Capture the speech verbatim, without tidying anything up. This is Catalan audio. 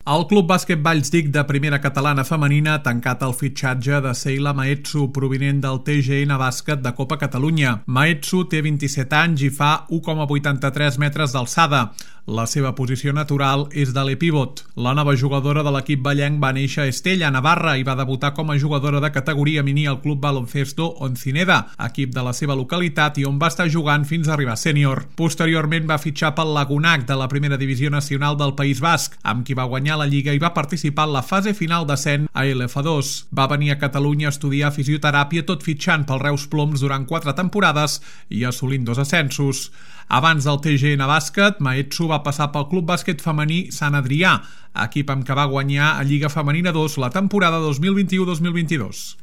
El Club Bàsquet Vallsdic de primera catalana femenina ha tancat el fitxatge de Seila Maetsu, provinent del T G N Bàsquet de Copa Catalunya. Maetsu té vint-i-set anys i fa u coma vuitanta-tres metres d'alçada. La seva posició natural és d'ale pivot. La nova jugadora de l'equip ballenc va néixer a Estella, Navarra, i va debutar com a jugadora de categoria mini al Club Baloncesto Oncineda, equip de la seva localitat i on va estar jugant fins a arribar a sènior. Posteriorment va fitxar pel Lagunac de la primera divisió nacional del País Basc, amb qui va guanyar la Lliga i va participar en la fase final d'ascens a L F dos. Va venir a Catalunya a estudiar fisioteràpia, tot fitxant pel Reus Ploms durant quatre temporades i assolint dos ascensos. Abans del T G N Bàsquet, Maetsu va passar pel Club Bàsquet Femení Sant Adrià, equip amb què va guanyar a Lliga Femenina dos la temporada dos mil vint-i-u dos mil vint-i-dos.